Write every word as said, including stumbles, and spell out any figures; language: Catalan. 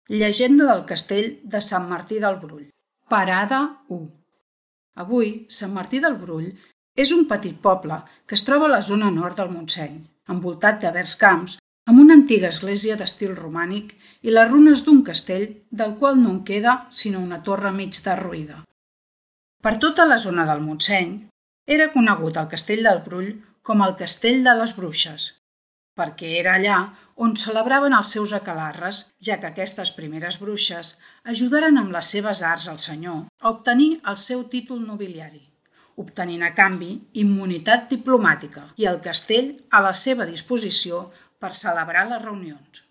Llegenda del castell de Sant Martí del Brull. Parada u. Avui, Sant Martí del Brull és un petit poble que es troba a la zona nord del Montseny, envoltat de verds camps, amb una antiga església d'estil romànic i les runes d'un castell del qual no en queda sinó una torre mig derruïda. Per tota la zona del Montseny era conegut el castell del Brull com el Castell de les Bruixes, perquè era allà on celebraven els seus aquelarres, ja que aquestes primeres bruixes ajudaren amb les seves arts al senyor a obtenir el seu títol nobiliari, obtenint a canvi immunitat diplomàtica i el castell a la seva disposició per celebrar les reunions.